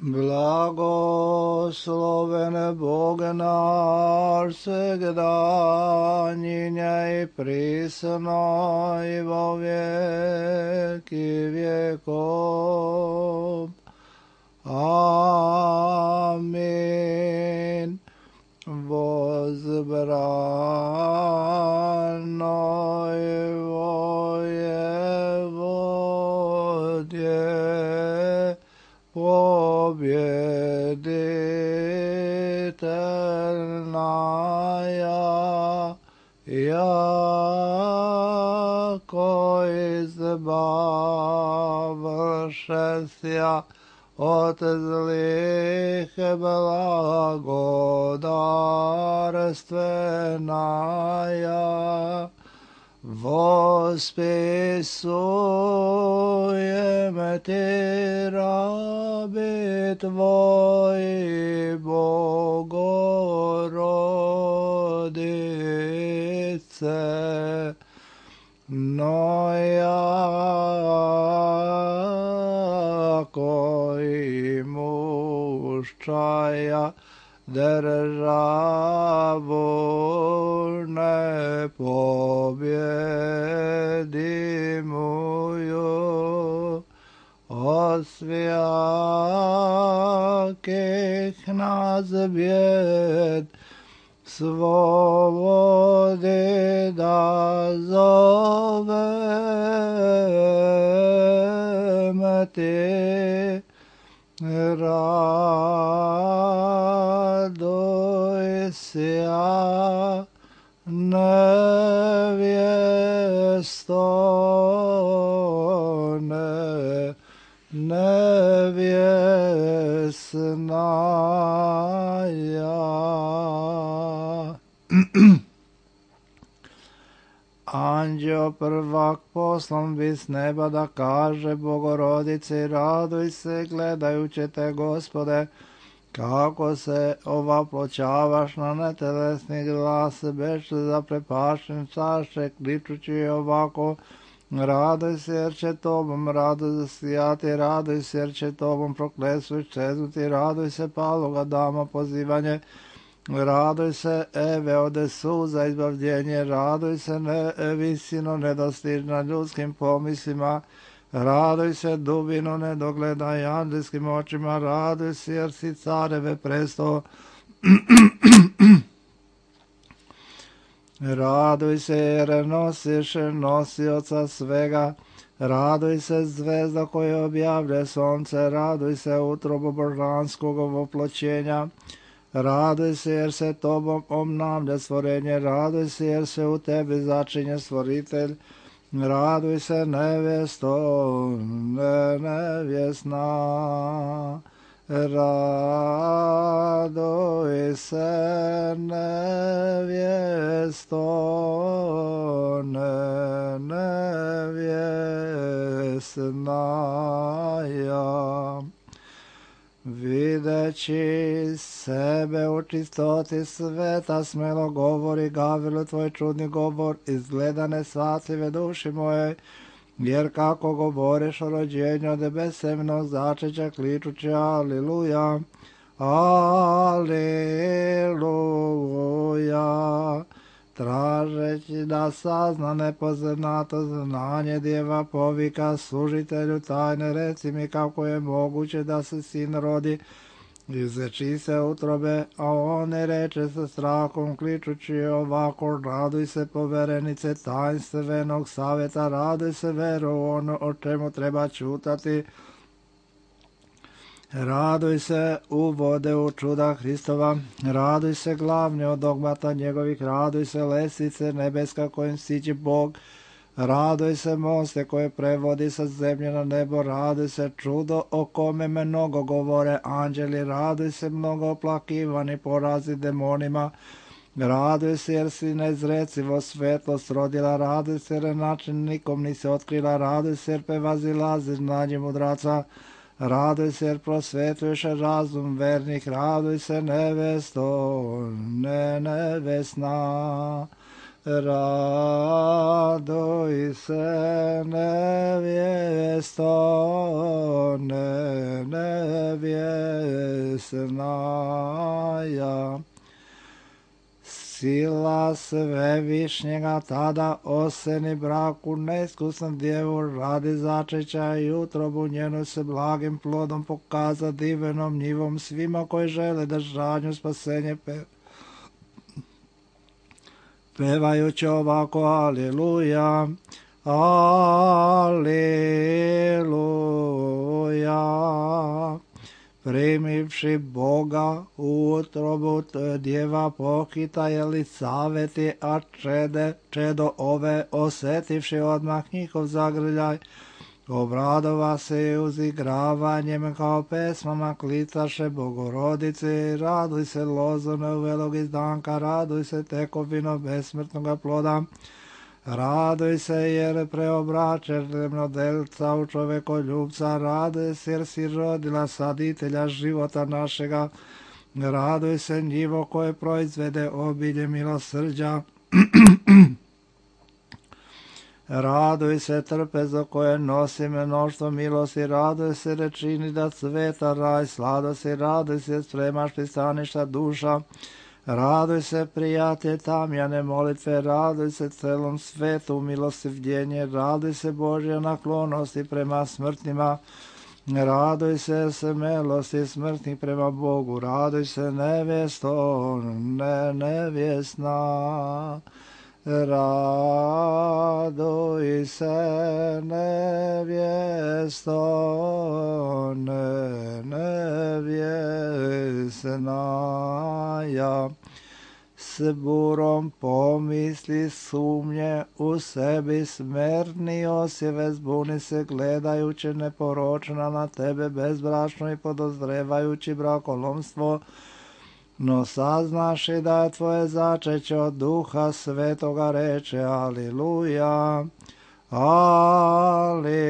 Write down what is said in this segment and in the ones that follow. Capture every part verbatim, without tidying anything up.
Blagosloven Bog naš svegda, njinja i prisno i vo vijeki vijekov. Amin. Возбранной воеводе, победительная, яко избавшися от злых благодарственная, восписуем Ти раби Твои, Богородице, но яко имущая державу непобедимую, от всяких нас бед свободы да зовем Ти. Радуйся, невесто, не, невестная. Anđeo prvak poslan bi s neba da kaže Bogorodici, raduj se gledajući te, Gospode, kako se ovaploćavaš na netelesni glas, beš zaprepašen čaše, kličući ovako, raduj se jer će tobom radost zasijati, raduj se jer će tobom prokletstvo iščeznuti, raduj se paloga dama pozivanje, raduj se Eve ode suza izbavljenje, raduj se ne, visino nedostižna ljudskim pomislima, raduj se dubino nedogledaj anđelskim očima, raduj se jer si careve presto. Raduj se jer nosiš nosioca svega, raduj se zvezda koja objavlja sonce, raduj se utrobu božanskog oploćenja, raduj se jer se tobom obnavlja stvorenje, raduj se jer se u tebi začinje stvoritelj, raduj se nevesto, ne, nevjesna, raduj se nevjesto, ne, nevjesnaja. Videći sebe u čistoti sveta, smelo govori Gavrilu tvoj čudni govor, izgleda nesvatljive duši moje, jer kako govoriš o rođenju od besemnog začeća, kličući aliluja, aliluja, tražeći da sazna nepoznato znanje, djeva povika služitelju tajne, reci mi kako je moguće da se sin rodi iz čiste utrobe, a on ne reče sa strahom, kličući ovako, raduj se poverenice tajnstvenog savjeta, raduj se veru u ono o čemu treba čutati, raduj se uvode u čuda Hristova, raduj se glavni od dogmata njegovih, raduj se lestvice nebeska kojim siđe Bog, raduj se moste koje prevodi sa zemlje na nebo, raduj se čudo o kome mnogo govore anđeli, raduj se mnogo oplakivani porazi demonima, raduj se jer si nezrecivo svetlost rodila, raduj se jer način nikom nisi otkrila, raduj se jer prevazilazi znanje mudraca, raduj se jer prosvetuješ razum vernih, raduj se nevesto, ne nevesna, raduj se nevjesto, ne nevjesnaja. Sila svevišnjega tada oseni braku neiskusnom djevu radi začeća i utrobu njenu se blagim plodom pokaza divenom njivom svima koji žele da žanju spasenje pe... pevajući ovako aleluja, aleluja. Primivši Boga u utrobu djeva pohita je li saveti, a čede, čedo ove osetivši odmah njihov zagrljaj, obradova se i uzigravanjem kao pesmama klicaše Bogorodice, raduj se lozone uvelog izdanka, raduj se tekovino besmrtnoga ploda, raduj se jer preobračeš zemljodelca u čovekoljubca, raduj se jer si rodila saditelja života našega, raduj se njivo koje proizvede obilje milosrđa, raduj se trpezo koje nosi mnoštvo milosti, raduj se rečini da cveta raj sladosti, raduj se spremaš pristaništa duša, raduj se prijatelj tamjane molitve, raduj se celom svetu milostivljenje, raduj se Božja naklonosti prema smrtnima, raduj se smelosti smrtnih prema Bogu, raduj se nevjesto, ne nevjesna, raduj se nevjesto, ne nevjesna, ja s burom pomisli sumnje u sebi smerni osjeve zbuni se gledajući neporočna na tebe bezbračno i podozrevajući brakolomstvo, no saznaš i da je tvoje začeće od Duha Svetoga reče aleluja, aleluja.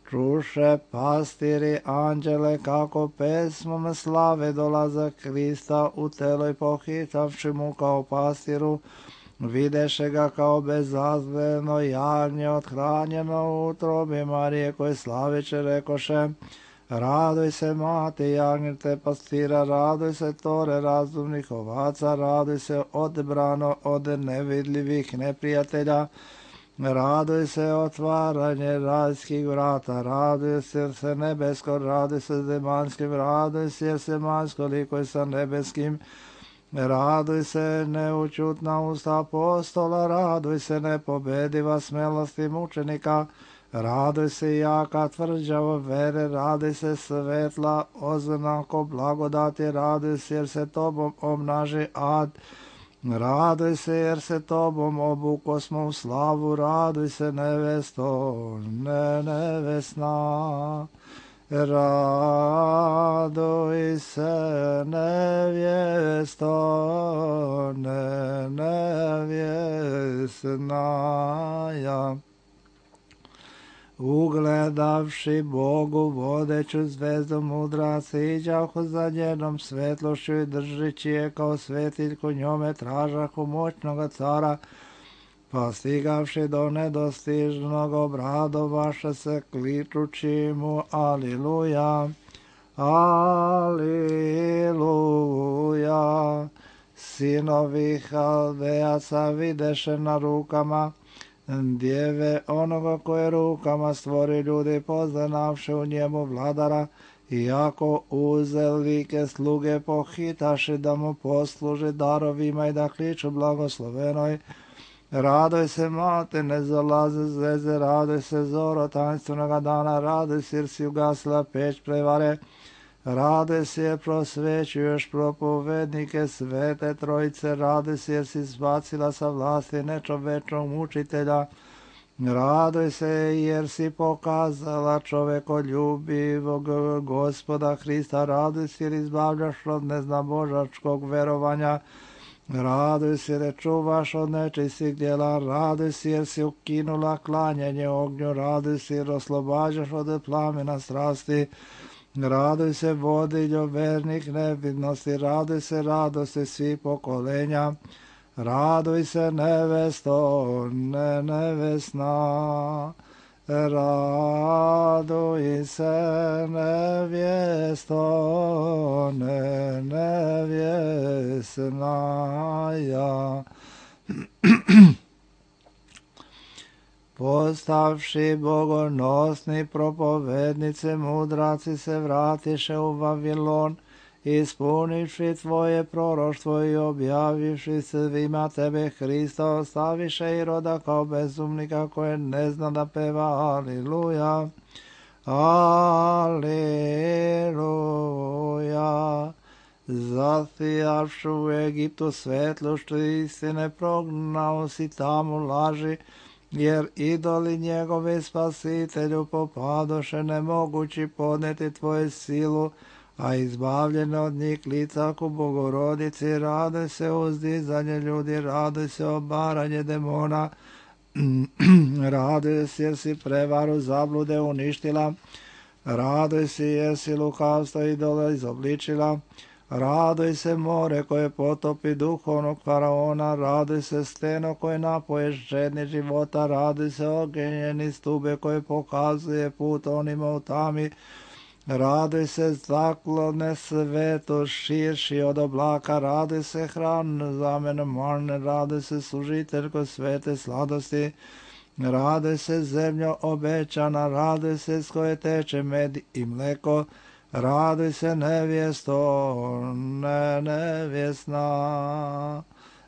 Čuše pastiri anđele kako pesmom slave dolaza Krista u telo i pohitavši mu kao pastiru, videše ga kao bezazleno jagnje othranjeno u utrobi Marije koje slaveće rekoše, raduj se mati jagnjete pastira, raduj se tore razumnih ovaca, raduj se odebrano od nevidljivih neprijatelja, raduj se otvaranje rajskih vrata, raduj se jer se nebesko, raduj se zemanskim, raduj se jer se manjsko likoj sa nebeskim, raduj se neučutna usta apostola, raduj se nepobediva smelosti mučenika, raduj se jaka tvrđavo vere, raduj se svetla oznako blagodati, raduj se jer se tobom obnaži ad, raduj se jer se tobom obuko smo u slavu, raduj se nevesto, ne nevesna, raduj se nevjesto, ne nevjesna, ja. Ugledavši Bogu vodeću zvezdu mudraci, iđahu za njenom svetlošću i držeći je kao svetiljku njome tražahu moćnoga cara, pa stigavši do nedostižnog obradovaše se kličući mu aliluja, aliluja. Sinovi Haldejaca videše na rukama djeve onoga koje rukama stvori ljudi, poznavši u njemu vladara, iako uzelike sluge pohitaši da mu posluži darovima i da kliču blagoslovenoj, raduj se mate, ne zalaze zveze, raduj se zoro tanstvenoga dana, raduj se jer si ugasila peć prevare, raduj se jer prosvećuješ propovednike svete trojice, raduj se jer si zbacila sa vlasti nečovečnog mučitelja, raduj se jer si pokazala čovekoljubivog Gospoda Hrista, raduj se jer izbavljaš od neznabožačkog verovanja, raduj se jer čuvaš od nečistih djela, raduj se jer si ukinula klanjanje ognju, raduj se jer oslobađaš od plamena strasti, raduj se vodiljo vernih nevidnosti, raduj se radosti svih pokolenja, raduj se nevesto, ne nevesna, Raduj se nevjesto, ne nevjesnaja. Postavši bogonosni propovednice, mudraci se vratiše u Vavilon, ispunivši tvoje proroštvo i objavivši svima tebe Hrista, ostaviše Iroda kao bezumnika koje ne zna da peva Aliluja, Aliluja. Zasijavši u Egiptu svetlošću istine, prognao si tamo laži, jer idoli njegove Spasitelju popadoše nemogući podneti tvoju silu, a izbavljene od njih lica ku Bogorodici. Raduj se uzdizanje ljudi, raduj se obaranje demona, raduj se jer si prevaru zablude uništila, raduj se jer si lukavstvo idola izobličila, raduj se more koje potopi duhovnog faraona, raduj se steno koje napoje žedni života, raduj se ogenjeni stube koje pokazuje put onima u tami, raduj se zaklone sveto širši od oblaka, raduj se hran zamena marne, raduj se služiteljko svete sladosti, raduj se zemljo obećana, raduj se s koje teče med i mleko, raduj se nevjesto, ne nevjesna.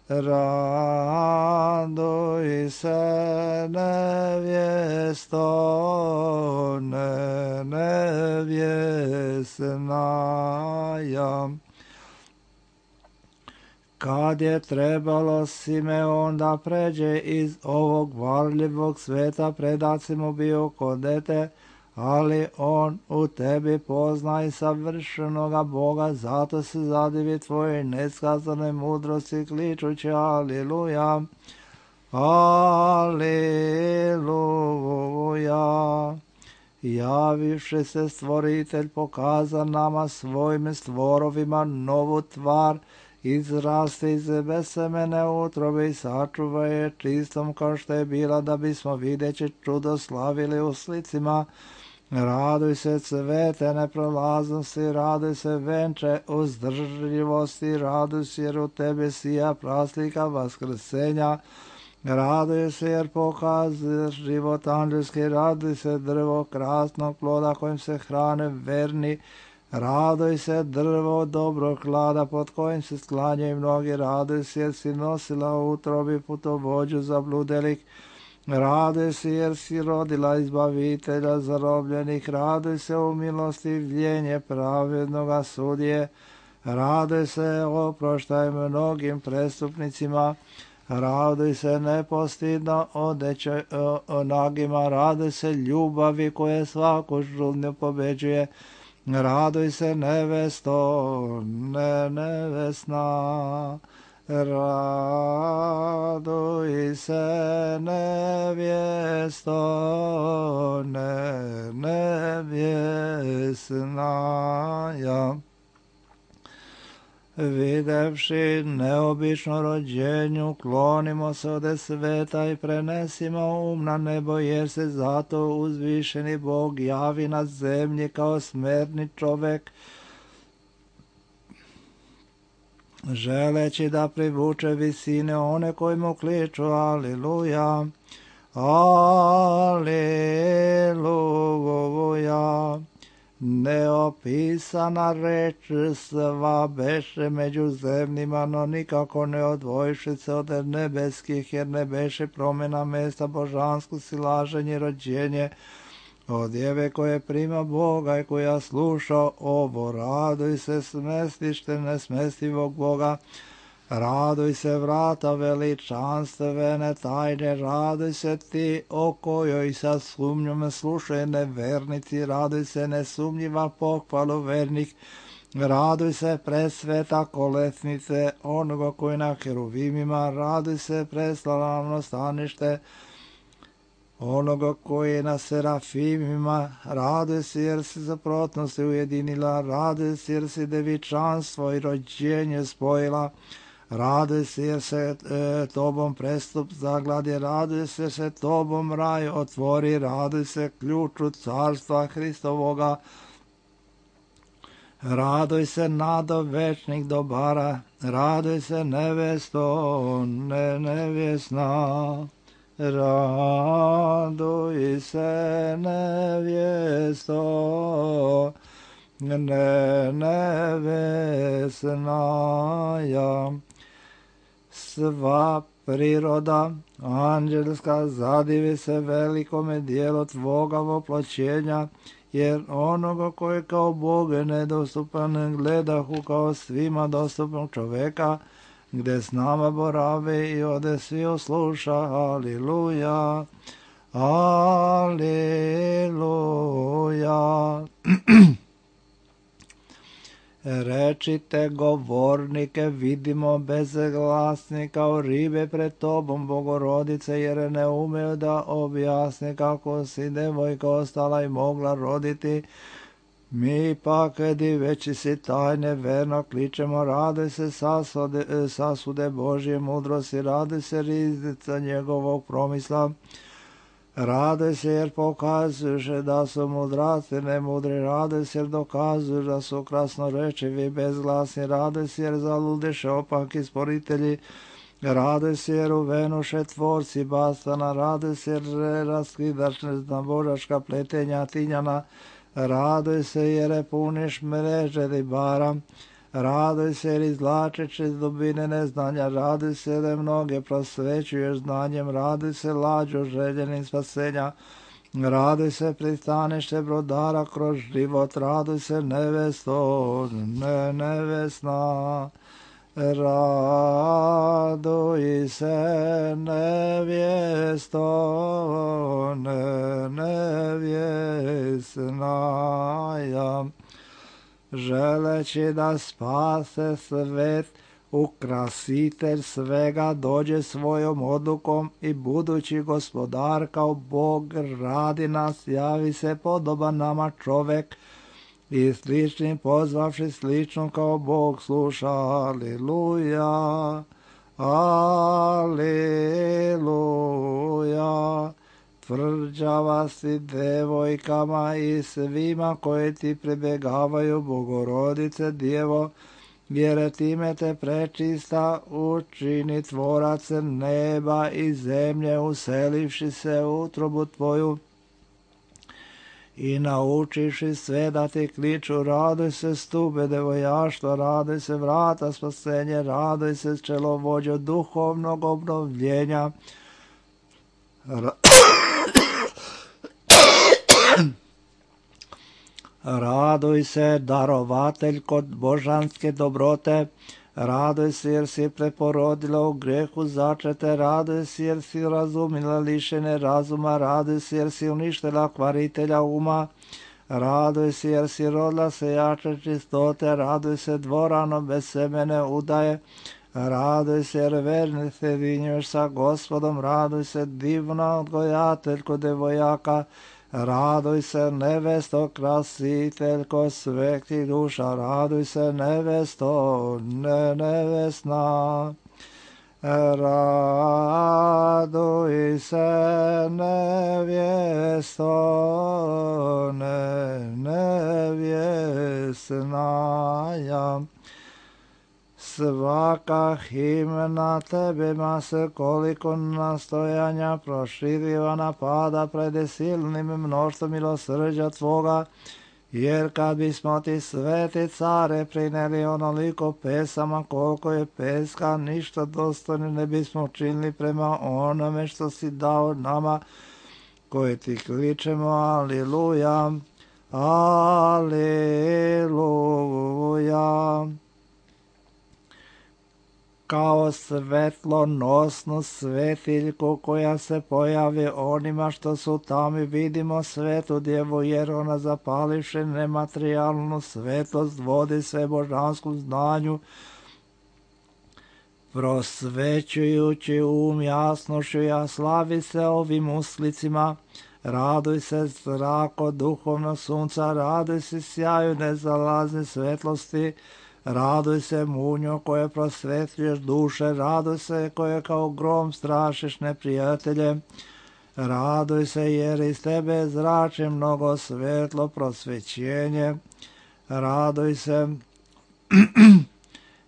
Raduj se nevjesto, ne nevjesnaja. Kad je trebalo Simeon da pređe iz ovog varljivog sveta, predac mu bio kod dete, ali on u tebi pozna i savršenoga Boga, zato se zadivi tvoje neskazane mudrosti, kličući Aliluja, Aliluja. Javivši se stvoritelj pokaza nama svojim stvorovima novu tvar, izraste iz besemene utrobe i sačuva je čistom kao što je bila, da bismo videći čudo slavili u slicima. Raduj se cvete neprolaznosti, raduj se venče uzdržljivosti, raduj se jer u tebi sija praslika vaskrsenja, raduj se jer pokazuješ život anđelski, raduj se drvo krasnog ploda kojim se hrane verni, raduj se drvo dobrog klada pod kojim se sklanjaju mnogi, raduj se jer si nosila u utrobi putovođu zabludelih, raduj se jer si rodila izbavitelja zarobljenih, raduj se u milosti vljenje pravednoga sudije, raduj se oproštaj mnogim prestupnicima, raduj se nepostidno odeće nagima, raduj se ljubavi koje svaku žudnju pobeđuje, raduj se nevesto, ne nevesna. Raduj se nevjesto, ne nevjesnaja. Videvši neobično rođenju, klonimo se od sveta i prenesimo um na nebo, jer se zato uzvišeni Bog javi na zemlji kao smrtni čovek, želeći da privuče visine one koji mu kliču Aliluja, Aliluja. Neopisana reč sva beše među zemljima, no nikako ne odvojiše se od nebeskih, jer ne beše promjena mesta božansko silaženje rođenje od djeve koje prima Boga i koja sluša ovo. Raduj se smestište nesmestivog Boga, raduj se vrata veličanstvene tajne, raduj se ti o kojoj sa sumnjom slušaju nevernici, raduj se nesumnjiva pohvalu vernih, raduj se presveta kolesnice onoga koji na heruvimima, raduj se preslavno stanište onoga koji je na serafimima, raduj se jer si zaprotnosti ujedinila, raduj se jer si devičanstvo i rođenje spojila, Raduj se jer se e, tobom prestup zagladi, raduj se jer se tobom raj otvori, raduj se ključu carstva Hristovoga. Raduj se nado večnih dobara, raduj se nevesto, ne nevjesna. Raduj se nevjesto, ne nevjesnaja. Sva priroda anđelska zadivi se velikome dijelu tvoga voploćenja, jer onoga koji kao Bog je nedostupan gledahu kao svima dostupnog čoveka, gde s nama boravi i ode svi osluša. Aliluja, aliluja. Rečite govornike, vidimo bezglasni kao ribe pred tobom, Bogorodice, jer ne umeju da objasne kako si devojka ostala i mogla roditi. Mi pak, diveći si tajne, verno kličemo, raduj se sasude, sasude Božje mudrosti, raduj se riznica njegovog promisla. Raduj se jer pokazuješ da su mudraci nemudri, raduj se jer dokazuješ da su krasnorečivi bezglasni, raduj se jer zaludeše opaki sporitelji, raduj se jer uvenuše tvorci bastana, raduj se jer raskidaš neznabožačka pletenja tinjana, raduj se jer puniš mreže ribara, raduj se jer izvlačeš iz dubine neznanja, raduj se jer mnoge prosvećuješ znanjem, raduj se lađu željenim spasenja, raduj se pristanište brodara kroz život, raduj se nevesto, ne nevesna. Raduj se nevjesto, ne nevjesnaja. Želeći da spase svet, ukrasitelj svega dođe svojom odlukom i budući gospodar kao Bog radi nas, javi se podoban nama čovek i sličnim pozvavši slično kao Bog sluša. Aliluja, aliluja. Tvrđava si devojkama i svima koji ti pribegavaju, Bogorodice Djevo, jer time te prečista učini tvorac neba i zemlje, uselivši se u utrobu tvoju i naučiši sve da ti kliču. Raduj se stube devojaštva, raduj se vrata spasenje, raduj se čelovođo duhovnog obnovljenja. Ra Raduj se darovatelj kod božanske dobrote, raduj se jer si preporodila u grehu začete, raduj se jer si razumila lišene razuma, raduj se jer si uništila kvaritelja uma, raduj se jer si rodila sejače čistote, raduj se dvorano bez semene udaje, raduj se jer verni se vinjuješ sa Gospodom, raduj se divna odgojateljko devojaka, raduj se nevesto krasiteljko svetih duša, raduj se nevesto ne nevesna. Raduj se nevjesto ne nevjesnaja. Svaka himna tebima se koliko nastojanja proširivana pada pred silnim mnoštvom milosrđa tvoga, jer kad bismo ti sveti care prineli onoliko pesama koliko je peska, ništa dostojno ne bismo činili prema onome što si dao nama koji ti kličemo. Aliluja, aliluja. Kao svetlonosnu svetiljku koja se pojavi onima što su tamo, vidimo svetu djevu, jer ona zapalivši nematerijalnu svetlost vodi sve božansku znanju, prosvećujući um jasnošću, a slavi se ovim uslicima. Raduj se zrako duhovnog sunca, raduj se sjaju nezalazne svetlosti, Raduj se munjo koje prosvetljuješ duše, raduj se koje kao grom strašiš neprijatelje. Raduj se jer iz tebe zrači mnogo svetlo prosvećenje. Raduj se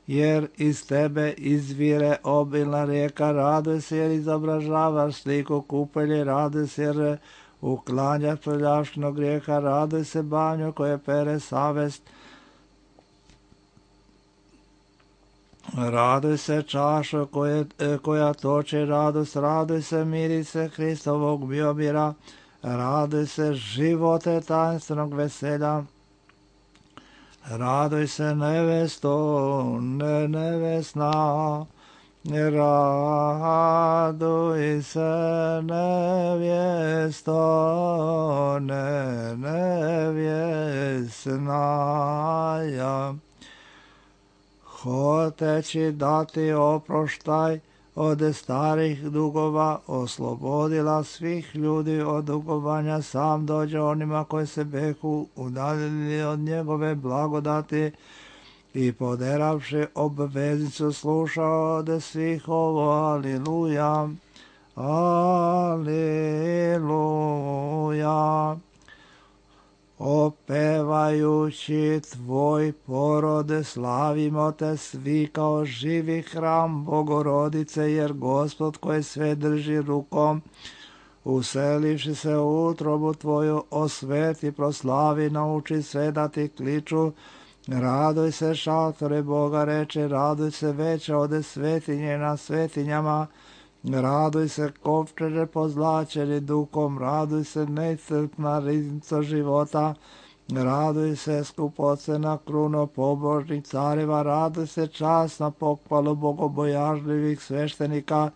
jer iz tebe izvire obilna rijeka. Raduj se jer izobražavaš sliku kupelje. Raduj se jer uklanjaš prljavštinu grijeha. Raduj se banjo koje pere savest. Raduj se čašo koje, koja toči radost. Raduj se mirise Hristovog biobira. Raduj se živote tajnstvenog veselja. Raduj se nevesto, ne nevesna, raduj se nevjesto, ne nevjesna. Hoteći dati oproštaj od starih dugova, oslobodila svih ljudi od dugovanja, sam dođe onima koji se behu udaljili od njegove blagodati i poderavši obveznicu slušao od svih ovo. Aliluja, aliluja. Opevajući tvoj porode, slavimo te svi kao živi hram Bogorodice, jer Gospod koji sve drži rukom, uselivši se u utrobu tvoju, osveti, proslavi, nauči sve da ti kliču. Raduj se šatore Boga, reče, raduj se veća ode svetinje na svetinjama. Raduj se kovčeže pozlačeni duhom, raduj se neiscrpna riznica života, raduj se skupocena kruno pobožnih careva, raduj se časna pohvalu bogobojažljivih sveštenika,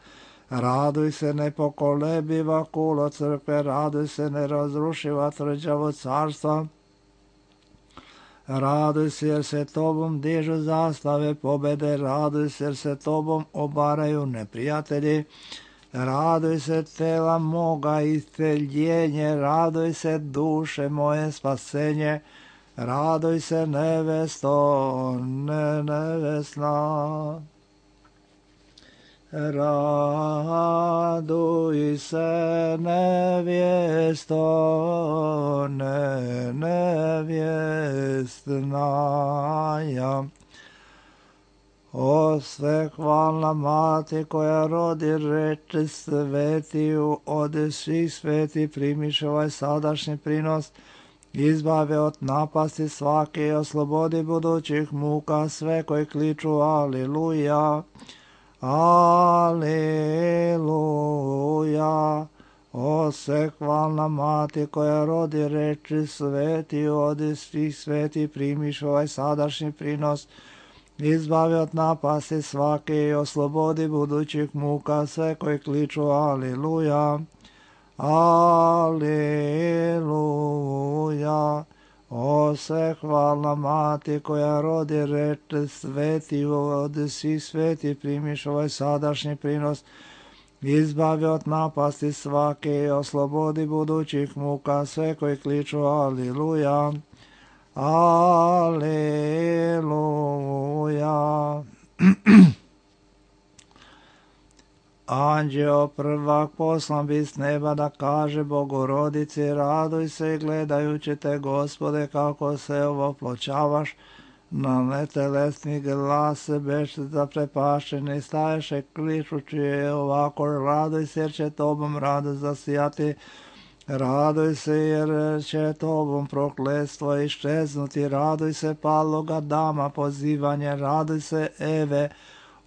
raduj se nepokolebiva kulo crkve, raduj se nerazrušiva tvrđavo carstva. Raduj se jer se tobom dižu zastave pobede, raduj se jer se tobom obaraju neprijatelji, raduj se tela moga isceljenje, raduj se duše moje spasenje, raduj se nevesto, ne nevesna. Raduj se nevjesto, ne nevjesna. O svehvalna mati koja rodi reči svetiju, od svih sveti primiš ovaj sadašnji prinos, izbave od napasti svake i oslobodi budućih muka sve koji kliču aliluja. Aleluja, o svehvalna mati koja rodi reči sveti, od svih sveti primiš ovaj sadašnji prinos, izbavi od napasti svake i oslobodi budućih muka sve koji kliču aleluja, aleluja. O svehvalna mati koja rodi reči sveti, od svih sveti primiš ovaj sadašnji prinos, izbavi od napasti svake i oslobodi budućih muka sve koji kliču aliluja, aleluja. Anđeo prvak poslan bi s neba da kaže Bogorodici, raduj se gledajući te, Gospode, kako se ovoploćavaš, na netelesni glas beš zaprepašeni, staješe kličući je ovako, raduj se jer će tobom radost zasijati, raduj se jer će tobom prokletstvo iščeznuti, raduj se paloga dama pozivanje, raduj se Eve,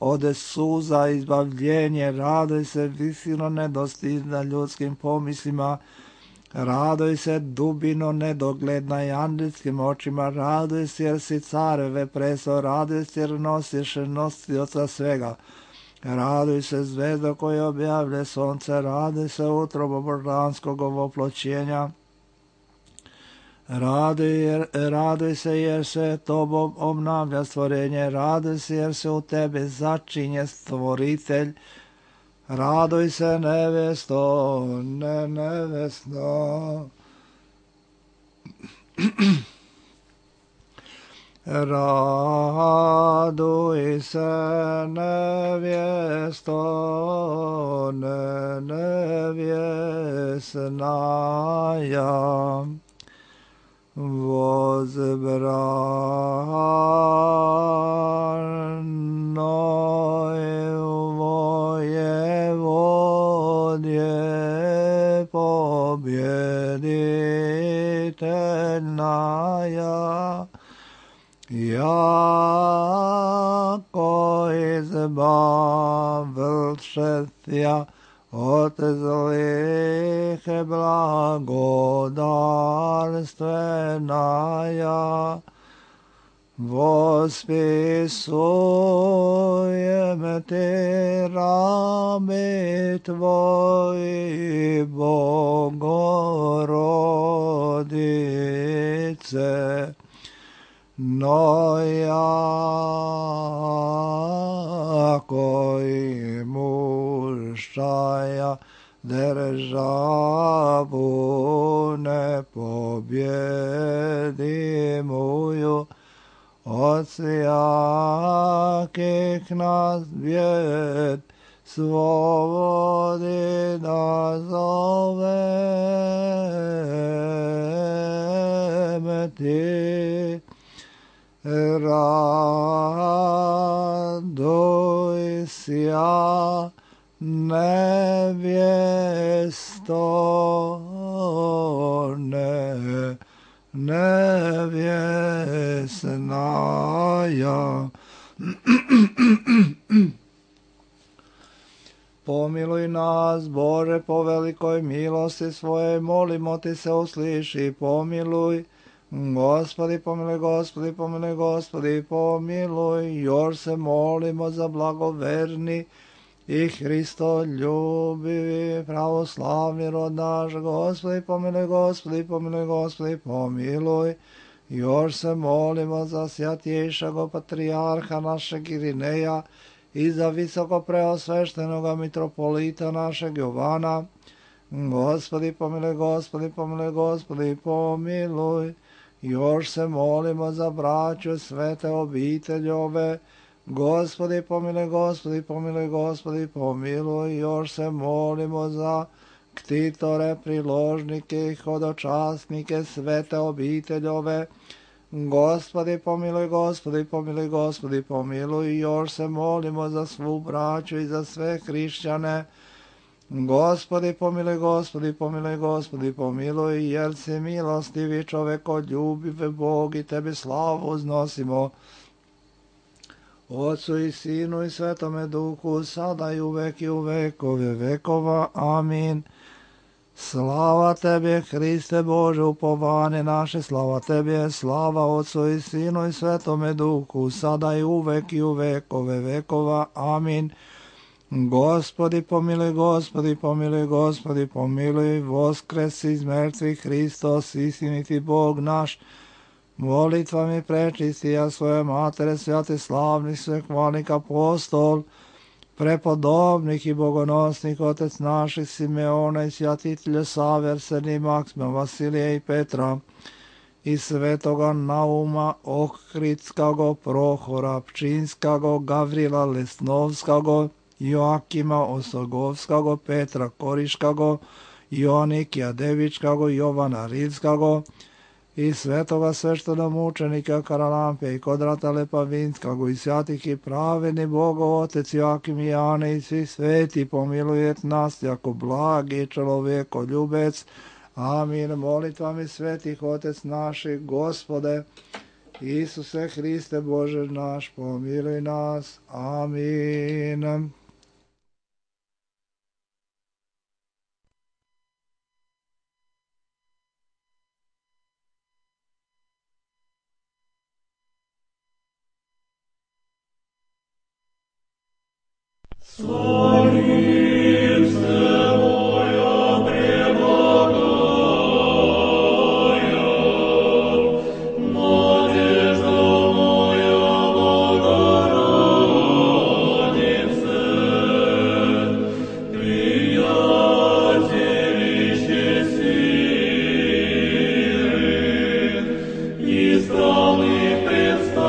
ode suza izbavljenje, raduj se visino nedostižna ljudskim pomislima, raduj se dubino nedogledna i andrijskim očima, raduj se jer si careve preso, raduj se jer nosiš nosioca svega, raduj se zvezdo koje objavlje sonce, raduj se utrobo božanskog ovoploćenja, Raduj, jer, raduj se jer se tobom obnavlja stvorenje, raduj se jer se u tebe začinje stvoritelj, raduj se nevesto, ne nevesno. Raduj se, nevjesto, ne, nevjesnaja, возбранной воеводье победительная, яко избавившися от злых благодарственная, восписуем Ты раби Твои, Богородице, но яко имущая державу непобедимую от всяких нас бед, свободы назовем Ты. Радуйся, невесто, не, невесная. Помилуй нас, Боже, по великой милости Своей, молимо Ти се услыши, помилуй. Господи, помилуj, Господи, помilуj, Gospodi, pomilуj, još se molimo za blagoverni i Hristoljubivi pravoslavni rod naš. Gospodi, pomilуj, Gospodi, pomilуj, Gospodi, pomilуj, još se molimo za svjatjejšega patrijarha našeg Irineja i za visoko preosveštenoga mitropolita našeg Jovana. Gospodi, pomilуj, Gospodi, pomilуj, Gospodi, pomilуj, još se molimo za braću svete obiteljove. Gospodi, pomilуj, Gospodi, pomilуj, Gospodi, pomilуj, još se molimo za ktitore, priložnike i hodočasnike svete obiteljove. Gospodi, pomilуj, Gospodi, pomilуj, Gospodi, pomilуj, još se molimo za svu braću i za sve hrišćane. Gospodi, pomilуj, Gospodi, pomilуj, Gospodi, pomilуj, jer si milostivi čovekoljubiv Bog i Tebi slavu uznosimo. Otcu i Sinu i Svetome Duhu, sada i uvek i u vekove vekova. Amin. Slava Tebi, Hriste Bože, upovane naše, slava Tebi, slava Otcu i Sinu i Svetome Duhu, sada i uvek i u vekove vekova. Amin. Gospodi, pomilуj, Gospodi, pomilуj, Gospodi, pomilуj, voskresi iz mrtvih Hristos, istiniti Bog naš, molitvami prečistija svoje matere, svjate slavnih, svekvalnih apostol, prepodobnih i bogonosnih, otec naših Simeona i svjatitelja Save, Arsenija, Maksima, Vasilija i Petra, i svetoga Nauma, Ohridskago, Prohora, Pčinskago, Gavrila Lesnovskago, Joakima Osogovskago, Petra Koriškago, Joanikija Devičkago, Jovana Rilskago, i svetoga sveštenomučenika Karalampe i Kodrata Lepavinskago, i svjatih i praveni Bogo, Otec Joakim i Jane i svi sveti, pomilujet nas jako blagi čovjeko ljubec. Amin. Molitvami svetih Otec naših, Gospode, Isuse Hriste Bože naš, pomiluj nas. Amin. Истории предстал.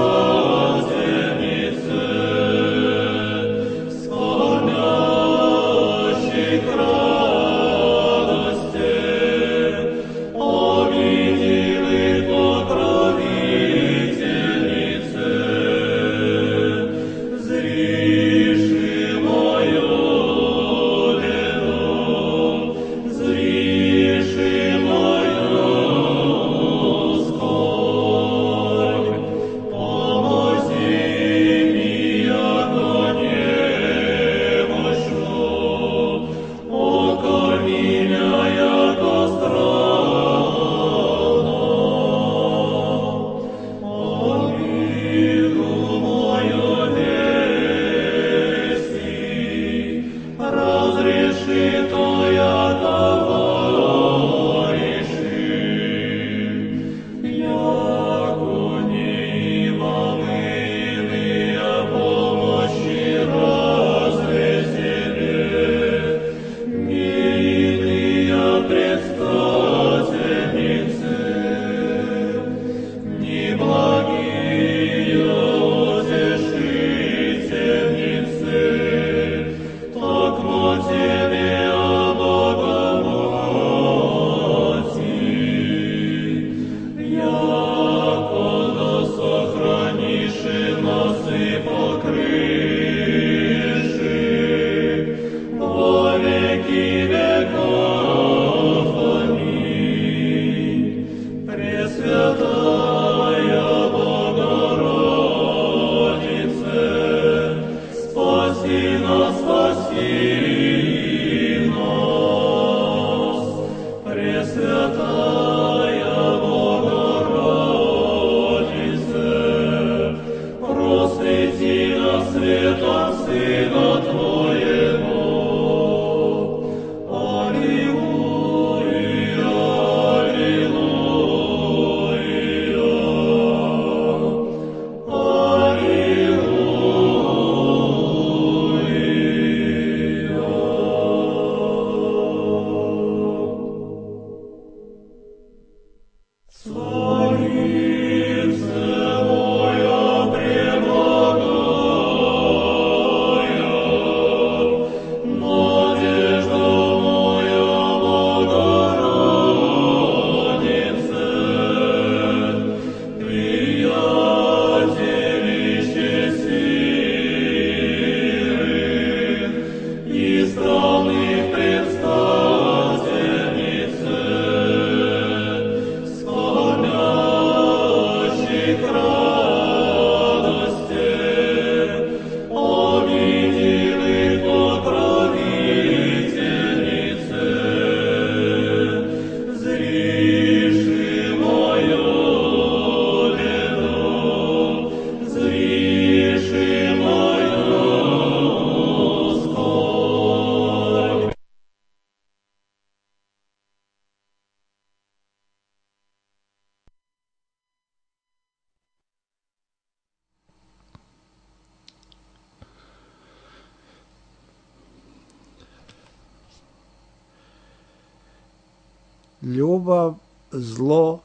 Ljubav zlo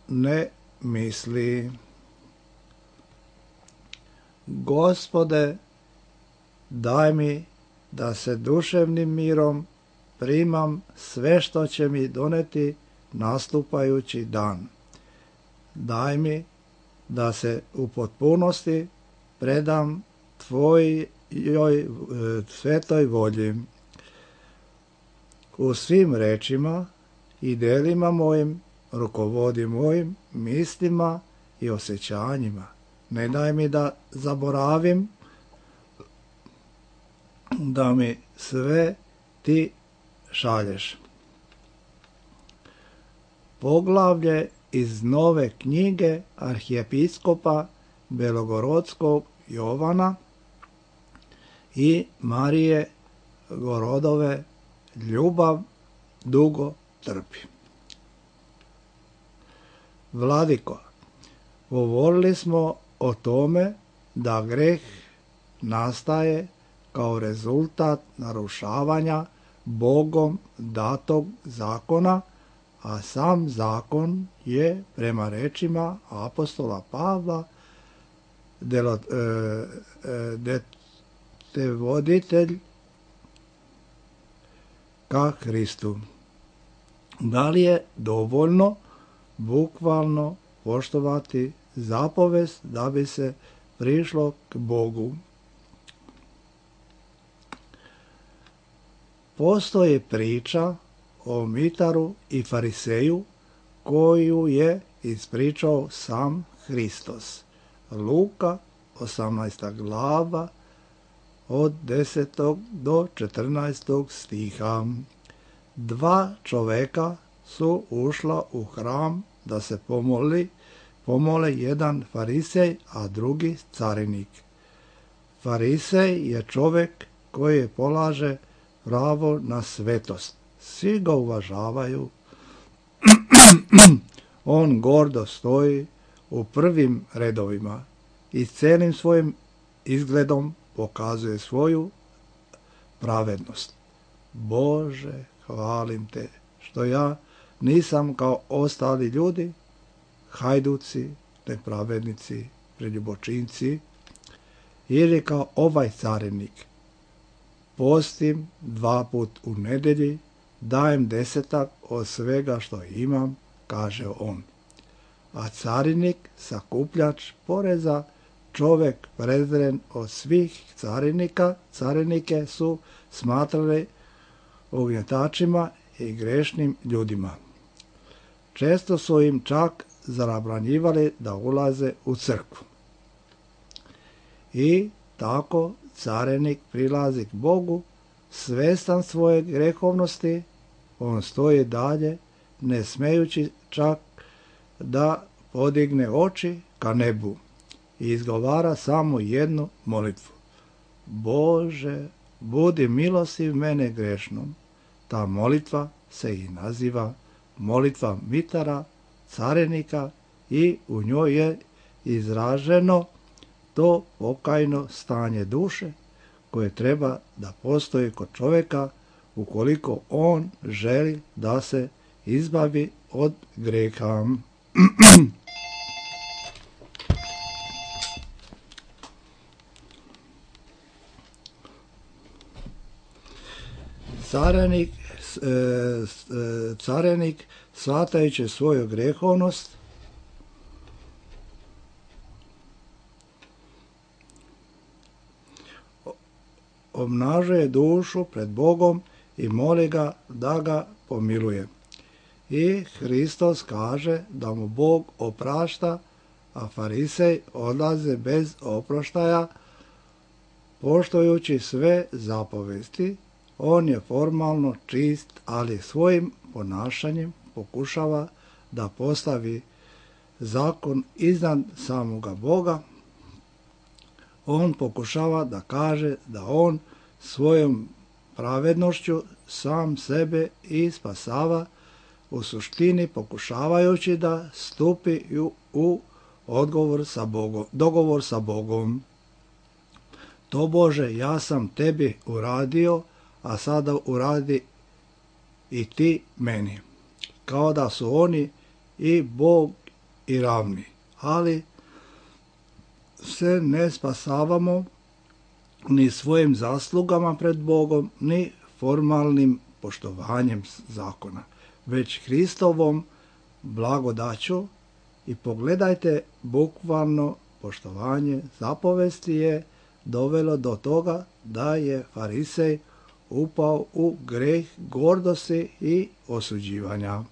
ne misli. Gospode, daj mi da se duševnim mirom primam sve što će mi doneti nastupajući dan. Daj mi da se u potpunosti predam Tvojoj svetoj volji. U svim rečima i delima mojim rukovodi mojim mislima i osjećanjima. Ne daj mi da zaboravim da mi sve Ti šalješ. Poglavlje iz nove knjige arhijepiskopa Belogorskog Jovana i Marije Gorodove, ljubav dugo trpi. Vladiko, govorili smo o tome da greh nastaje kao rezultat narušavanja Bogom datog zakona, a sam zakon je, prema rečima apostola Pavla, detevoditelj ka Hristu. Da li je dovoljno bukvalno poštovati zapovest da bi se prišlo k Bogu? Postoji priča o mitaru i fariseju koju je ispričao sam Hristos. Luka, osamnaesta glava, od desetog do četrnaestog stiha. Dva čoveka su ušla u hram da se pomoli, pomole jedan farisej, a drugi carinik. Farisej je čovek koji polaže pravo na svetost. Svi ga uvažavaju. On gordo stoji u prvim redovima i celim svojim izgledom pokazuje svoju pravednost. Bože, hvalim Te što ja nisam kao ostali ljudi, hajduci, nepravednici, preljubočinci, ili kao ovaj carinik. Postim dva put u nedelji, dajem desetak od svega što imam, kaže on. A carinik, sakupljač poreza, čovek prezren od svih carinika, carinike su smatrali ugnjetačima i grešnim ljudima. Često su im čak zabranjivali da ulaze u crkvu. I tako carinik prilazi k Bogu, svestan svoje grehovnosti, on stoji dalje, ne smejući čak da podigne oči ka nebu i izgovara samo jednu molitvu. Bože, budi milostiv mene grešnom. Ta molitva se i naziva molitva mitara, carinika, i u njoj je izraženo to pokajno stanje duše koje treba da postoji kod čoveka ukoliko on želi da se izbavi od greha. Carenik, carenik shvatajući svoju grehovnost obnažuje dušu pred Bogom i moli ga da ga pomiluje. I Hristos kaže da mu Bog oprašta, a farisej odlaze bez oproštaja, poštujući sve zapovesti. On je formalno čist, ali svojim ponašanjem pokušava da postavi zakon iznad samoga Boga. On pokušava da kaže da on svojom pravednošću sam sebe i spasava, u suštini pokušavajući da stupi u odgovor sa Bogom, dogovor sa Bogom. To Bože, ja sam tebi uradio, a sada uradi i ti meni. Kao da su oni i Bog i ravni. Ali se ne spasavamo ni svojim zaslugama pred Bogom, ni formalnim poštovanjem zakona, već Hristovom blagodaću. I pogledajte, bukvalno poštovanje zapovesti je dovelo do toga da je farisej upao u greh gordosti i osuđivanja.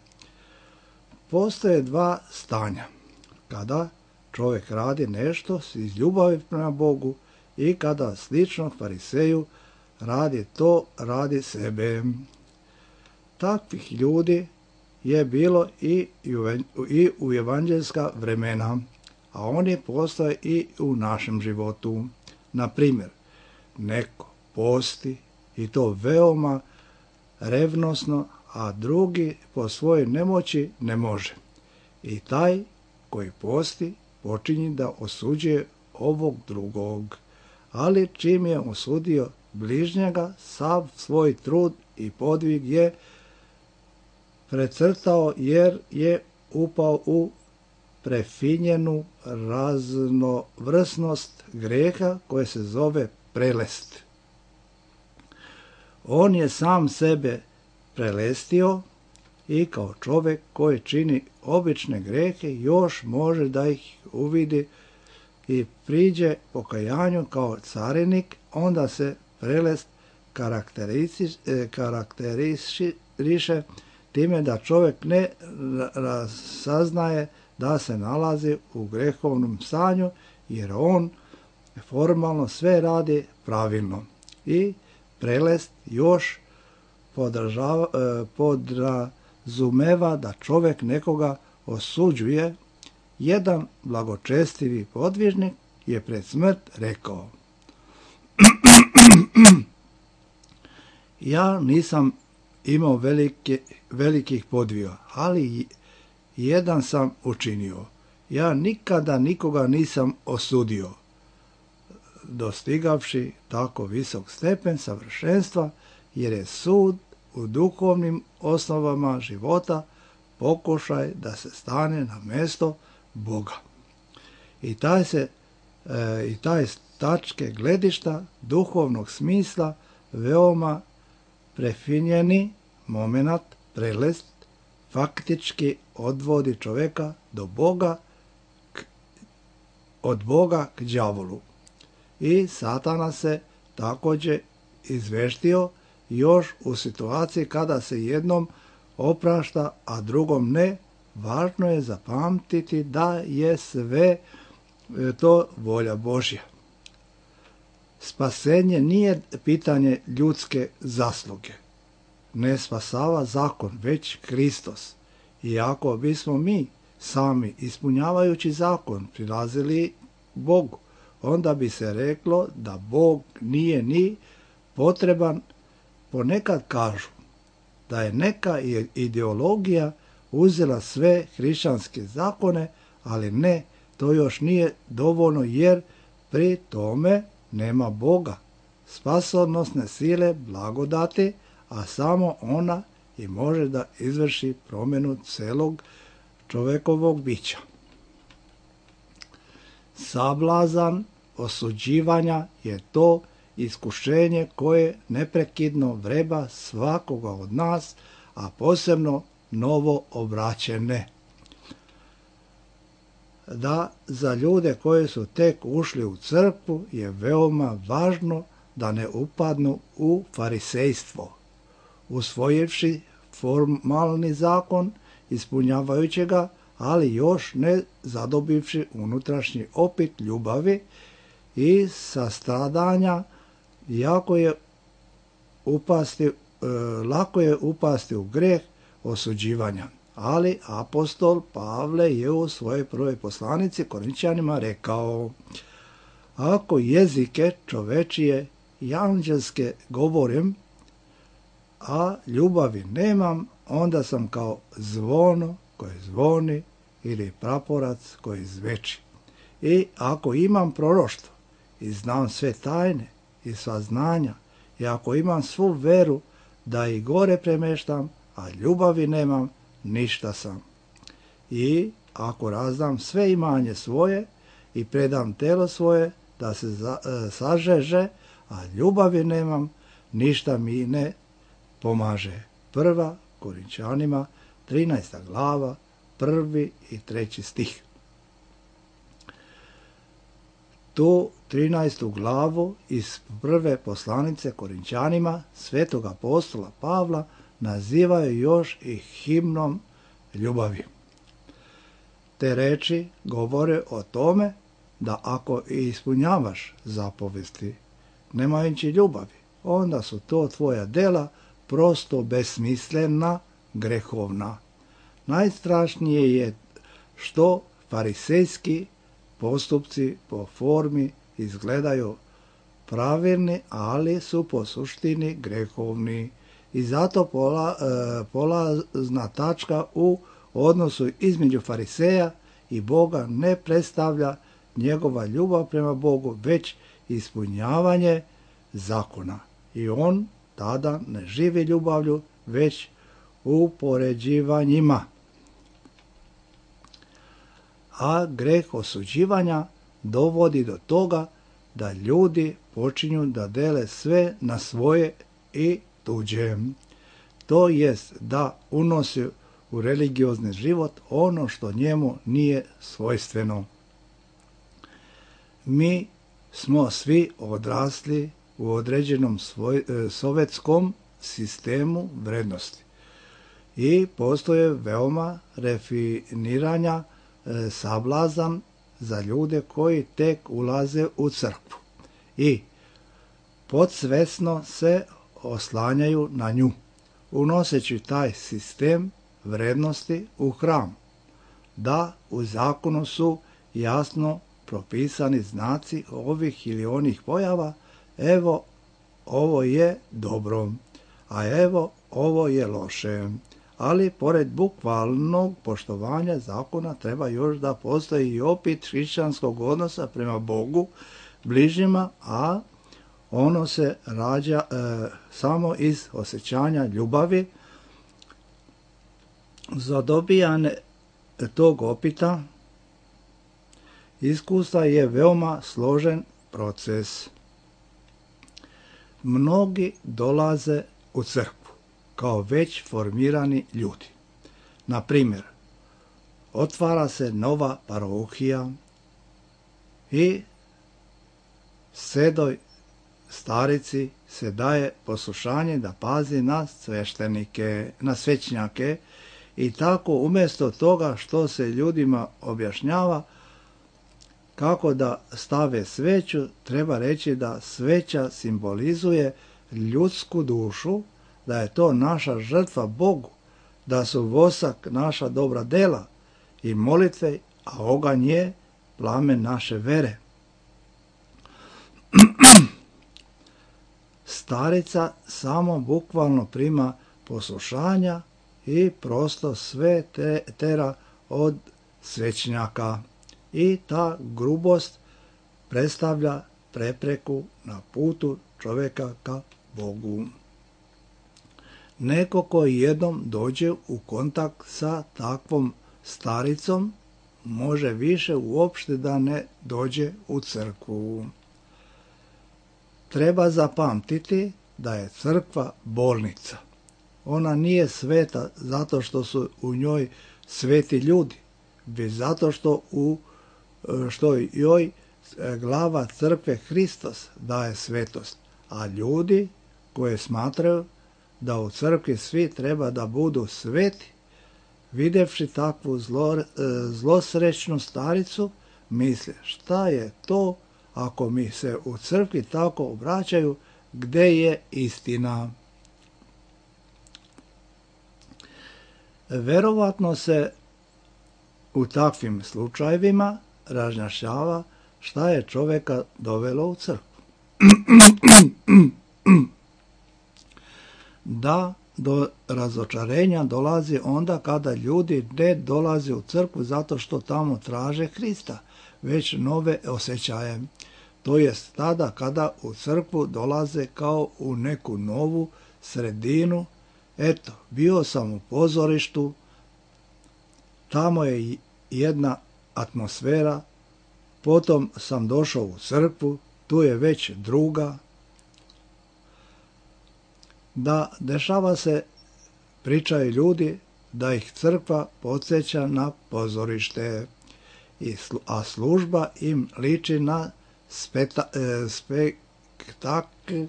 Postoje dva stanja. Kada čovjek radi nešto iz ljubavi prema Bogu i kada slično fariseju radi to radi sebe. Takvih ljudi je bilo i u evanđelska vremena, a oni postoje i u našem životu. Na primjer, neko posti i to veoma revnosno, a drugi po svojoj nemoći ne može. I taj koji posti počinje da osuđuje ovog drugog, ali čim je osudio bližnjega, sav svoj trud i podvig je precrtao jer je upao u prefinjenu raznovrsnost greha koje se zove prelest. On je sam sebe prelestio i kao čovjek koji čini obične grehe još može da ih uvidi i priđe pokajanju kao carinik, onda se prelest karakteriše time da čovjek ne saznaje da se nalazi u grehovnom stanju, jer on formalno sve radi pravilno. I prelest još podrazumeva da čovjek nekoga osuđuje. Jedan blagočestivi podvižnik je pred smrt rekao: ja nisam imao velike, velikih podviga, ali jedan sam učinio. Ja nikada nikoga nisam osudio. Dostigavši tako visok stepen savršenstva, jer je sud u duhovnim osnovama života pokušaj da se stane na mjesto Boga. I taj se e, i taj s tačke gledišta duhovnog smisla veoma prefinjeni momenat, prelest, faktički odvodi čovjeka do Boga, k, od Boga k đavolu. I Satana se također izveštio još u situaciji kada se jednom oprašta, a drugom ne. Važno je zapamtiti da je sve to volja Božja. Spasenje nije pitanje ljudske zasluge. Ne spasava zakon, već Hristos. I ako bismo mi sami ispunjavajući zakon prilazili Bogu, onda bi se reklo da Bog nije ni potreban. Ponekad kažu da je neka ideologija uzela sve hrišćanske zakone, ali ne, to još nije dovoljno, jer pri tome nema Boga, spasonosne sile, blagodati, a samo ona i može da izvrši promjenu celog čovjekovog bića. Sablazan osuđivanja je to iskušenje koje neprekidno vreba svakoga od nas, a posebno novo obraćene. Da za ljude koji su tek ušli u crkvu je veoma važno da ne upadnu u farisejstvo, usvojivši formalni zakon, ispunjavajući ga, ali još ne zadobivši unutrašnji opit ljubavi i sastradanja, jako je upasti, e, lako je upasti u greh osuđivanja. Ali apostol Pavle je u svojoj prvoj poslanici Korinčanima rekao: ako jezike čovečije i anđelske govorim, a ljubavi nemam, onda sam kao zvono koje zvoni ili praporac koji zveči. I ako imam proroštvo i znam sve tajne i sva znanja, i ako imam svu veru da i gore premeštam, a ljubavi nemam, ništa sam. I ako razdam sve imanje svoje i predam telo svoje da se za, e, sažeže, a ljubavi nemam, ništa mi ne pomaže. Prva Korinčanima, trinaesta glava, prvi i treći stih. Tu trinaestu glavu iz prve poslanice Korinčanima svetog apostola Pavla nazivaju još i himnom ljubavi. Te reči govore o tome da ako ispunjavaš zapovesti nemajući ljubavi, onda su to tvoja dela prosto besmislena, grehovna. Najstrašnije je što farisejski postupci po formi izgledaju pravilni, ali su po suštini grehovni. I zato pola, e, polazna tačka u odnosu između fariseja i Boga ne predstavlja njegova ljubav prema Bogu, već ispunjavanje zakona. I on tada ne živi ljubavlju, već upoređivanjima. A greh osuđivanja dovodi do toga da ljudi počinju da dele sve na svoje i tuđe. To jest da unosi u religiozni život ono što njemu nije svojstveno. Mi smo svi odrasli u određenom svoj, sovjetskom sistemu vrednosti i postoje veoma refiniranja e, sablazan za ljude koji tek ulaze u crkvu i podsvesno se oslanjaju na nju, unoseći taj sistem vrednosti u hram, da u zakonu su jasno propisani znaci ovih ili onih pojava, evo ovo je dobro, a evo ovo je loše. Ali pored bukvalnog poštovanja zakona treba još da postoji i opit hrišćanskog odnosa prema Bogu, bližnjima, a ono se rađa e, samo iz osjećanja ljubavi. Za dobijanje tog opita iskustva je veoma složen proces. Mnogi dolaze u crkvu kao već formirani ljudi. Na primjer, otvara se nova parohija i sedoj starici se daje poslušanje da pazi na sveštenike, na svećnjake, i tako umjesto toga što se ljudima objašnjava kako da stave sveću, treba reći da sveća simbolizuje ljudsku dušu, da je to naša žrtva Bogu, da su vosak naša dobra dela i molitve, a oganj je plamen naše vere. Starica samo bukvalno prima poslušanja i prosto sve te, tera od svećnjaka. I ta grubost predstavlja prepreku na putu čovjeka ka Bogu. Neko koji jednom dođe u kontakt sa takvom staricom, može više uopšte da ne dođe u crkvu. Treba zapamtiti da je crkva bolnica. Ona nije sveta zato što su u njoj sveti ljudi, već zato što u što joj glava crkve Hristos daje svetost, a ljudi koji smatraju da u crkvi svi treba da budu sveti, videvši takvu zlo, zlosrećnu staricu, misle šta je to ako mi se u crkvi tako obraćaju, gde je istina. Verovatno se u takvim slučajevima razjašnjava šta je čovjeka dovelo u crkvu. Da do razočarenja dolazi onda kada ljudi ne dolaze u crkvu zato što tamo traže Hrista, već nove osjećaje. To jest tada kada u crkvu dolaze kao u neku novu sredinu. Eto, bio sam u pozorištu, tamo je jedna atmosfera, potom sam došao u crkvu, tu je već druga. Da, dešava se, pričaju ljudi, da ih crkva podsjeća na pozorište, a služba im liči na speta, e, spektakl,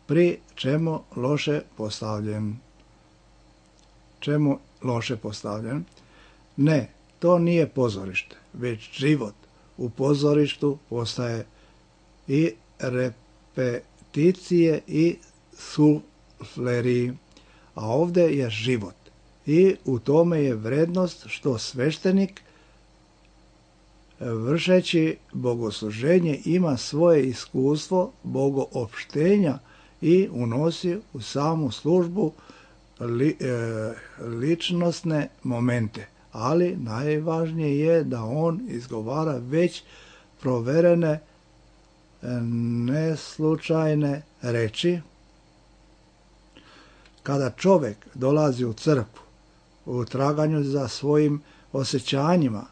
pri čemu loše postavljen. Čemu loše postavljen? Ne, to nije pozorište, već život. U pozorištu postaje i repeticije i sufleri, a ovdje je život. I u tome je vrednost što sveštenik vršeći bogosluženje ima svoje iskustvo bogoopštenja i unosi u samu službu li, e, ličnostne momente. Ali najvažnije je da on izgovara već proverene neslučajne reči. Kada čovjek dolazi u crkvu u traganju za svojim osjećanjima,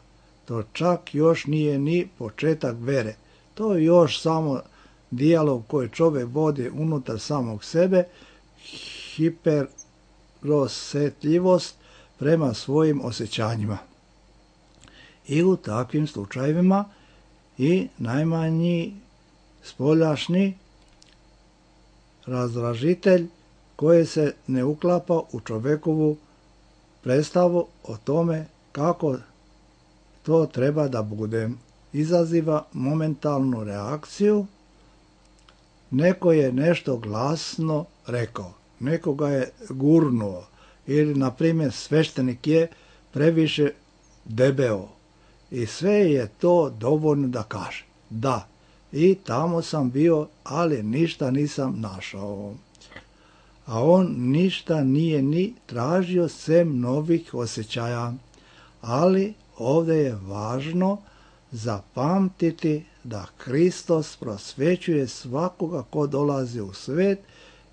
to čak još nije ni početak vere. To je još samo dijalog koji čovjek vodi unutar samog sebe, hiperosjetljivost prema svojim osjećanjima. I u takvim slučajevima i najmanji spoljašnji razdražitelj koji se ne uklapa u čovjekovu predstavu o tome kako to treba da bude, izaziva momentalnu reakciju. Neko je nešto glasno rekao, nekoga je gurnuo, ili na primjer sveštenik je previše debeo i sve je to dovoljno da kaže da, i tamo sam bio, ali ništa nisam našao. A on ništa nije ni tražio sem novih osjećaja. Ali ovdje je važno zapamtiti da Hristos prosvećuje svakoga ko dolazi u svet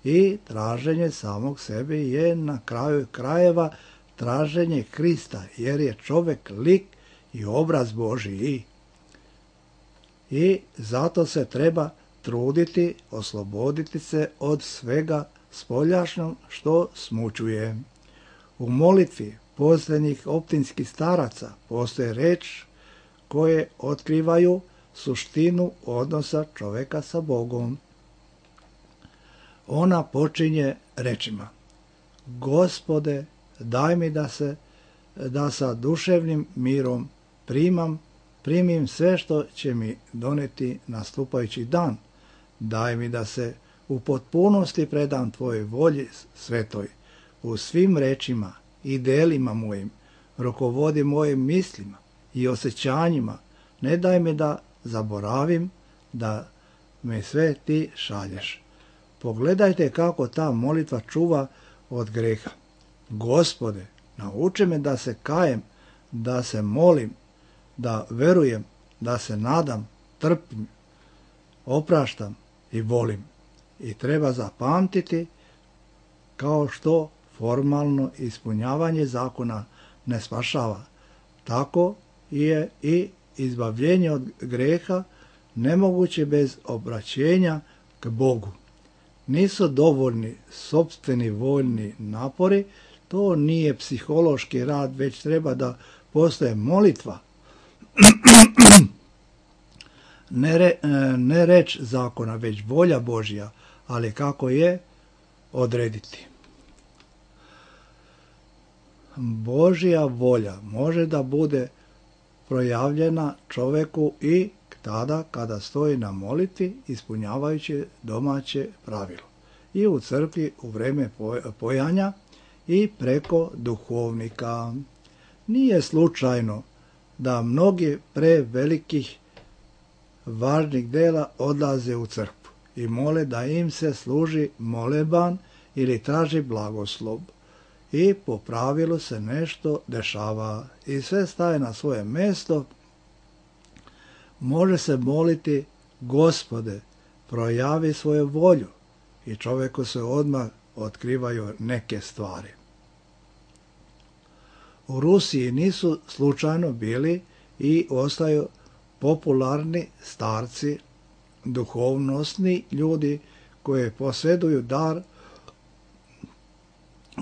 i traženje samog sebe je na kraju krajeva traženje Hrista, jer je čovjek lik i obraz Božiji. I zato se treba truditi, osloboditi se od svega spoljašnjog što smućuje. U molitvi posljednjih optinskih staraca postoje reč koje otkrivaju suštinu odnosa čovjeka sa Bogom. Ona počinje rečima: Gospode, daj mi da se da sa duševnim mirom primam, primim sve što će mi doneti nastupajući dan. Daj mi da se u potpunosti predam tvojoj volji svetoj, u svim rečima i delima mojim, rukovodi mojim mislima i osjećanjima. Ne daj mi da zaboravim da me sve ti šalješ. Pogledajte kako ta molitva čuva od greha. Gospode, nauči me da se kajem, da se molim, da verujem, da se nadam, trpim, opraštam i volim. I treba zapamtiti, kao što formalno ispunjavanje zakona ne spašava, Tako je i izbavljenje od grijeha nemoguće bez obraćenja k Bogu. Nisu dovoljni sopstveni voljni napori, to nije psihološki rad, već treba da postoje molitva. Ne, re, ne reč zakona, već volja Božja, ali kako je odrediti. Božja volja može da bude projavljena čoveku i tada kada stoji na molitvi ispunjavajući domaće pravilo. I u crkvi u vreme pojanja i preko duhovnika. Nije slučajno da mnogi pre velikih važnih dela odlaze u crkvu i mole da im se služi moleban ili traži blagoslov. I po pravilu se nešto dešava i sve staje na svoje mjesto. Može se moliti: Gospode, projavi svoju volju, i čovjeku se odmah otkrivaju neke stvari. U Rusiji nisu slučajno bili i ostaju popularni starci, duhovnosni ljudi koji posjeduju dar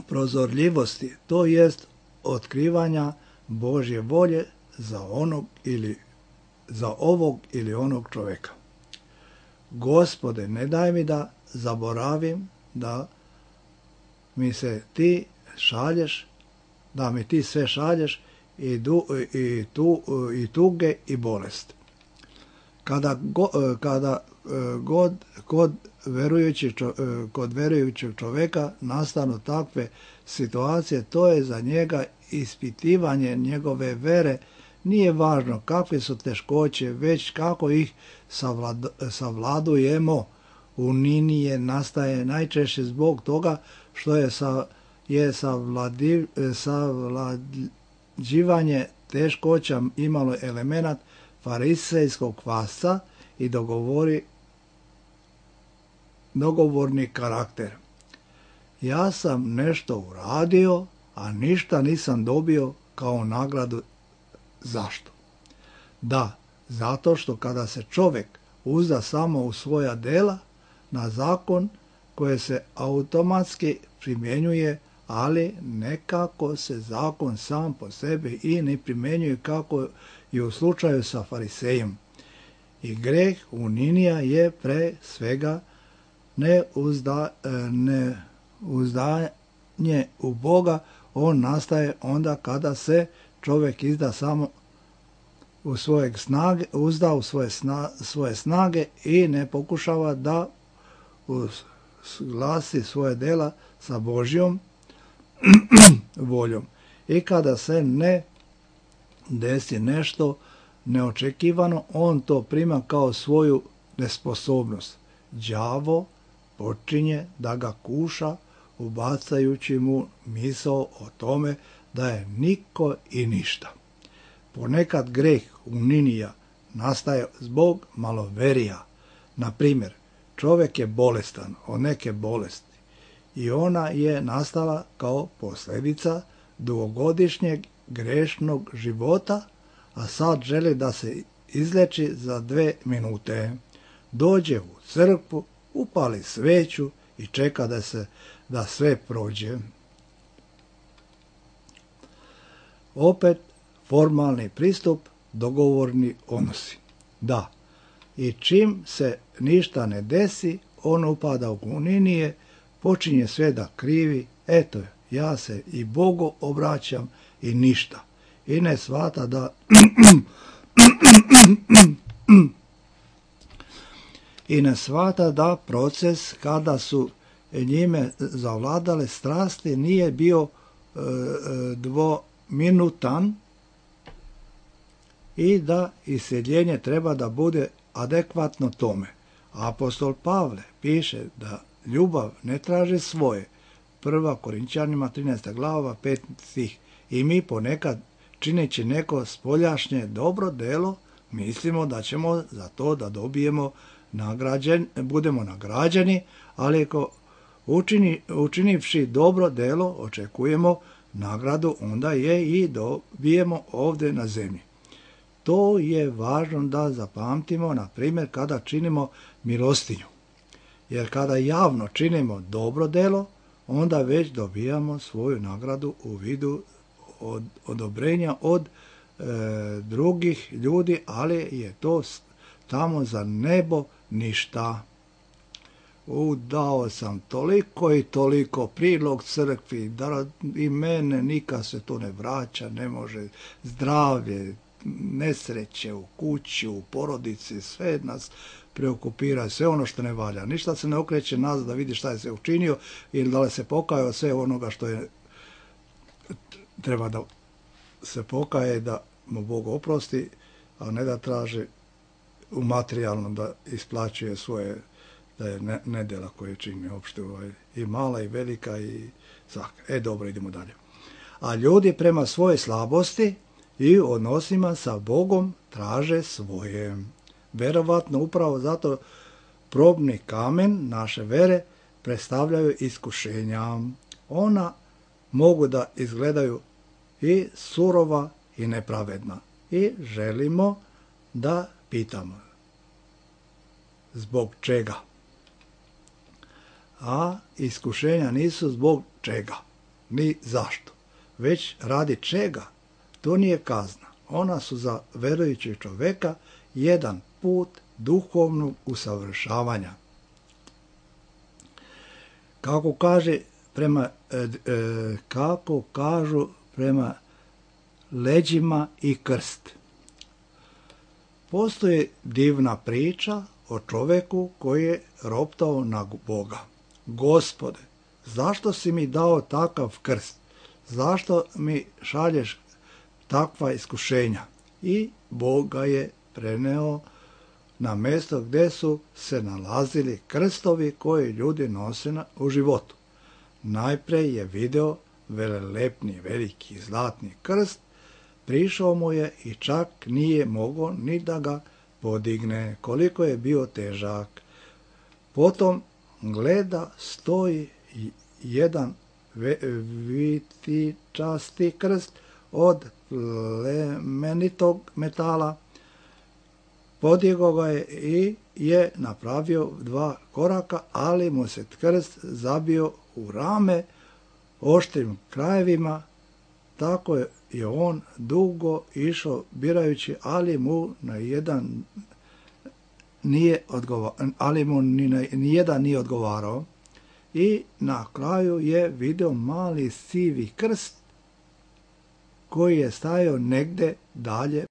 prozorljivosti, to jest otkrivanja Božje volje za onog ili za ovog ili onog čovjeka. Gospode, ne daj mi da zaboravim da mi se ti šalješ, da mi ti sve šalješ i, du, i, tu, i tuge i bolest. Kada, go, kada god kod, verujući, kod verujućeg čovjeka nastanu takve situacije, to je za njega ispitivanje njegove vere. Nije važno kakve su teškoće, već kako ih savlad, savladujemo. Uninije nastaje najčešće zbog toga što je, sa, je savladi, savlađivanje teškoća imalo elemenat farisejskog kvasca i dogovori, dogovorni karakter. Ja sam nešto uradio, a ništa nisam dobio kao nagradu. Zašto? Da, zato što kada se čovjek uzda samo u svoja dela, na zakon koje se automatski primjenjuje, ali nekako se zakon sam po sebi i ne primjenjuje kako i u slučaju sa farisejem. I greh uninija je pre svega neuzda, neuzdanje u Boga. On nastaje onda kada se čovjek izda samo u svoje snage, uzda u svoje, sna, svoje snage i ne pokušava da uglasi svoje dela sa Božjom voljom. I kada se ne desi nešto neočekivano, on to prima kao svoju nesposobnost. Đavo počinje da ga kuša, ubacajući mu misao o tome da je niko i ništa. Ponekad greh uninija nastaje zbog maloverija. Na primjer, čovjek je bolestan od neke bolesti i ona je nastala kao posljedica dugogodišnjeg grešnog života, a sad želi da se izleči za dve minute. Dođe u crkvu, upali sveću i čeka da se da sve prođe. Opet formalni pristup, dogovorni odnosi. Da, i čim se ništa ne desi, on upada u uninije, počinje sve da krivi, eto, ja se i Bogu obraćam i ništa. I ne shvata da i ne shvata da proces kada su njime zavladale strasti nije bio e, dvominutan i da iseljenje treba da bude adekvatno tome. Apostol Pavle piše da ljubav ne traži svoje. Prva Korinčanima trinaesta glava peti stih. I mi ponekad čineći neko spoljašnje dobro delo, mislimo da ćemo za to da dobijemo nagrađen, budemo nagrađeni, ali ako učini, učinivši dobro delo, očekujemo nagradu, onda je i dobijemo ovdje na zemlji. To je važno da zapamtimo, na primjer, kada činimo milostinju. Jer kada javno činimo dobro delo, onda već dobijamo svoju nagradu u vidu od, odobrenja od e, drugih ljudi, ali je to tamo za nebo ništa. Udao sam toliko i toliko prilog crkvi, da i mene nikad se to ne vraća, ne može zdravlje, nesreće u kući, u porodici, sve nas preokupira, sve ono što ne valja. Ništa se ne okreće nazad da vidi šta je se učinio ili da li se pokajao sve onoga što je treba da se pokaje, da mu Bog oprosti, a ne da traži u materijalnom da isplaćuje svoje da je ne, nedjela koje čini opšte ovaj, i mala i velika i svaka. E dobro, idemo dalje. A ljudi prema svoje slabosti i odnosima sa Bogom traže svoje. Verovatno upravo zato probni kamen naše vere predstavljaju iskušenja. Ona mogu da izgledaju i surova i nepravedna. I želimo da pitamo zbog čega. A iskušenja nisu zbog čega, ni zašto, već radi čega. To nije kazna. Ona su za verujućeg čoveka jedan put duhovnog usavršavanja. Kako kaže prema, e, e, kako kažu prema leđima i krst. Postoji divna priča o čoveku koji je roptao na Boga. Gospode, zašto si mi dao takav krst? Zašto mi šalješ takva iskušenja? I Bog ga je preneo na mjesto gdje su se nalazili krstovi koje ljudi nose u životu. Najprej je video velelepni, veliki, zlatni krst, prišao mu je i čak nije mogao ni da ga podigne, koliko je bio težak. Potom gleda, stoji jedan vitičasti krst od plemenitog metala, podigao ga je i je napravio dva koraka, ali mu se krst zabio u rame oštrim krajevima, tako je on dugo išao birajući, ali mu na jedan nije odgovarao, ali mu ni, na, ni jedan nije odgovarao i na kraju je video mali sivi krst koji je stajao negde dalje